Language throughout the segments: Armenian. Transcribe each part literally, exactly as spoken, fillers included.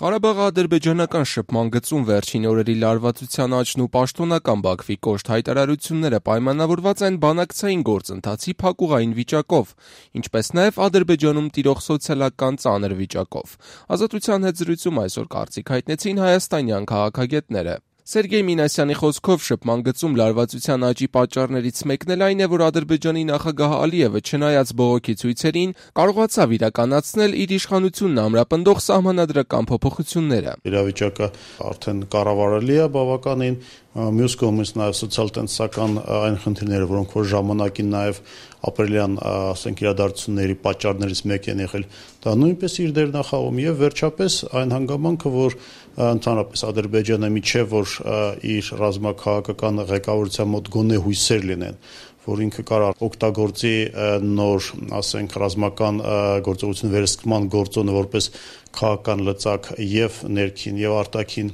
Ղարաբաղի ադրբեջանական շփման գծում վերջին օրերի լարվածության աճն ու պաշտոնական Բաքվի կոշտ հայտարարությունները պայմանավորված են բանակցային գործընթացի փակուղային վիճակով, ինչպես նաև Ադրբեջանում տիրող սոցիալական ծանր վիճակով։ Ազատության հետ զրույցում այսօր կարծիք հայտնեցին հայաստանյան քաղաքագետները։ Սերգեյ Մինասյանի խոսքով շփման գծում լարվածության աճի պատճառներից մեկն էլ այն է, որ Ադրբեջանի նախագահ Ալիևը, չնայած բողոքի ցույցերին, կարողացավ իրականացնել իր իշխանությունն ամրապնդող սահմանադրական փոփոխությունները։ Իրավիճակը արդեն կառավարելի է բավականին, մյուս կողմից նաև սոցիալ-տնտեսական այն խնդիրները, որոնք որ ժամանակին նաև ապրիլյան, ասենք, իրադարձությունների պատճառներից մեկ են եղել, դա նույնպես իր դերն է խաղում եւ վերջապես այն հանգամանքը, որ ընդհանրապես Ադրբեջանը միջև որ իր ռազմաքաղաքական ղեկավարության մոտ գոնե հույսեր լինեն, որ ինքը կարող օգտագործի նոր, ասենք, ռազմական գործողություն վերսկման գործոնը որպես քաղաքական լծակ եւ ներքին եւ արտաքին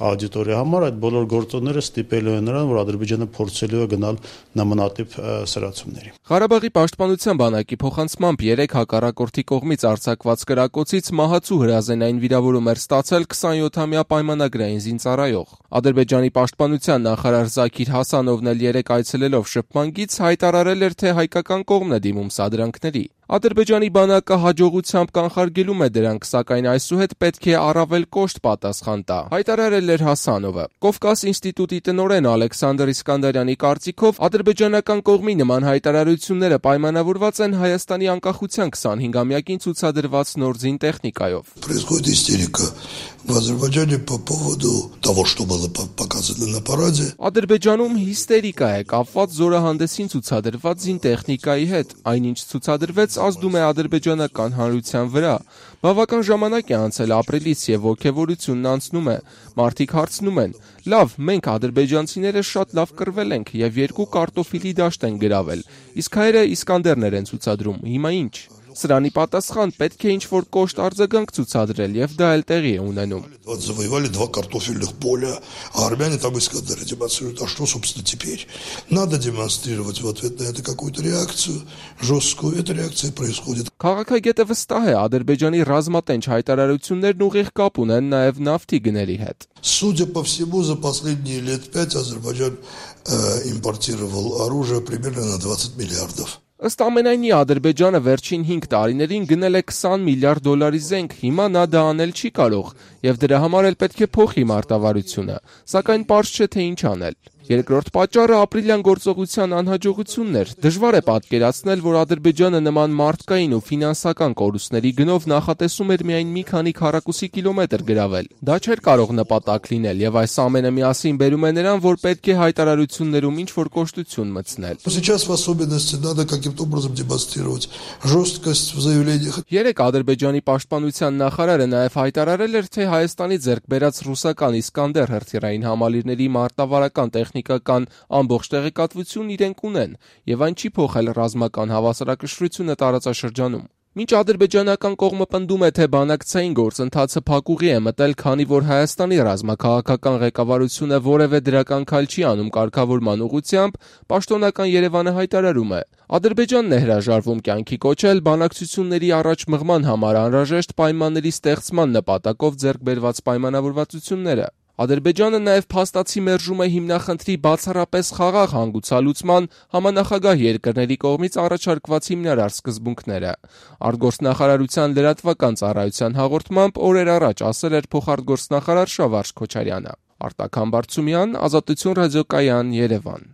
աուդիտորիա համար, այդ բոլոր գործոնները ստիպելու են նրան, որ Ադրբեջանը փորձելու է գնալ նմանատիպ սրացումների։ Ղարաբաղի պաշտպանության բանակի փոխանցմամբ երեք հակառակորդի կողմից արձակված կրակոցից մահացու հրազենային վիրավորում էր ստացել քսանյոթամյա պայմանագրային զինծառայող։ Ադրբեջանի պաշտպանության նախարար Զաքիր Հասանովն էլ երեք այցելելով շփման գիծ հայտարարել էր, թե հայկական կողմն է դիմում սադրանքների։ Ադրբեջանի բանակը հաջողությամբ կանխարգելում է դրանք, սակայն այսուհետ պետք է առավել կոշտ պատասխան տա, հայտարարել էր Հասանովը։ Կովկաս ինստիտուտի տնօրեն Ալեքսանդր Իսկանդարյանի կարծիքով ադրբեջանական կողմի նման հայտարարությունները պայմանավորված են Հայաստանի անկախության քսանհինգամյակին ցուցադրված նոր զինտեխնիկայով։ Происходит истерика в Азербайджане по поводу того, что было показано на параде. Ադրբեջանում հիստերիկա է կապված զորահանդեսին ցուցադրված զինտեխնիկայի հետ, այնինչ ցուցադրվեց ազդում է ադրբեջանական հանրության վրա։ Բավական ժամանակ է անցել ապրիլից եւ ոգևորությունն անցնում է։ Մարդիկ հարցնում են. լավ, մենք ադրբեջանցիները շատ լավ կռվել ենք եւ երկու կարտոֆիլի դաշտ են գրավել, իսկ հայերը Իսկանդերներ են ցուցադրում, հիմա ինչ։ Սրանի պատասխան պետք է ինչ-որ կոշտ արձագանք ցուցադրել եւ դա էլ տեղի է ունենում։ Завоевали два картофельных поля, а армяне там Искандеры демонстрируют. А что, собственно, теперь? Надо демонстрировать в ответ на это какую-то реакцию жесткую. Эта реакция происходит. Քաղաքագետը վստահ է, Ադրբեջանի ռազմատենչ հայտարարություններն ուղիղ կապ ունեն նաեւ նավթի գների հետ։ Судя по всему, за последние лет пять Азербайджан э, импортировал оружие примерно на двадцать миллиардов. Ըստ ամենայնի Ադրբեջանը վերջին հինգ տարիներին գնել է քսան միլիարդ դոլարի զենք, հիմա նա դա անել չի կարող, եւ դրա համար էլ պետք է փոխի մարտավարությունը, սակայն պարզ չէ թե ինչ անել։ Երկրորդ պատճառը ապրիլյան գործողության անհաջողությունն էր։ Դժվար է պատկերացնել, որ Ադրբեջանը նման մարդկային ու ֆինանսական կորուստների գնով նախատեսում էր միայն մի քանի քառակուսի կիլոմետր գրավել։ Դա չէր կարող նպատակ լինել, եւ այս ամենը միասին բերում է նրան, որ պետք է հայտարարություններում ինչ-որ կոշտություն մտցնել։ Сейчас в особенности надо каким-то образом демонстрировать жесткость в заявлениях. Երեք Ադրբեջանի պաշտպանության նախարարը նաև հայտարարել էր, թե Հայաստանի ձեռք բերած ռուսական Իսկանդեր հրթիռային համալիրների մարտավարական տեխնիկական ամբողջ տեղեկատվություն իրենք ունեն, եւ այն չի փոխել ռազմական հավասարակշռությունը տարածաշրջանում։ Մինչ ադրբեջանական կողմը պնդում է, թե բանակցային գործընթացը փակուղի է մտել, քանի որ Հայաստանի ռազմաքաղաքական ղեկավարությունը որևէ դրական քայլ չի անում կարգավորման ուղղությամբ, պաշտոնական Երևանը հայտարարում է. Ադրբեջանն է հրաժարվում կյանքի կոչել բանակցությունների առաջ մղման համար անհրաժեշտ պայմանների ստեղծման նպատակով ձեռք բերված պայմանավորվածությունները։ Ադրբեջանը նաև փաստացի մերժում է հիմնախնդրի բացառապես խաղաղ հանգուցալուծման համանախագահ երկրների կողմից առաջարկված հիմնարար սկզբունքները։ Արտգործնախարարության լրատվական ծառայության հաղորդմամբ օրեր առաջ ասել էր փոխարտգործնախարար Շավարժ Քոչարյանը։ Արտակ Համբարձումյան, Ազատություն ռադիոկայան, Երևան։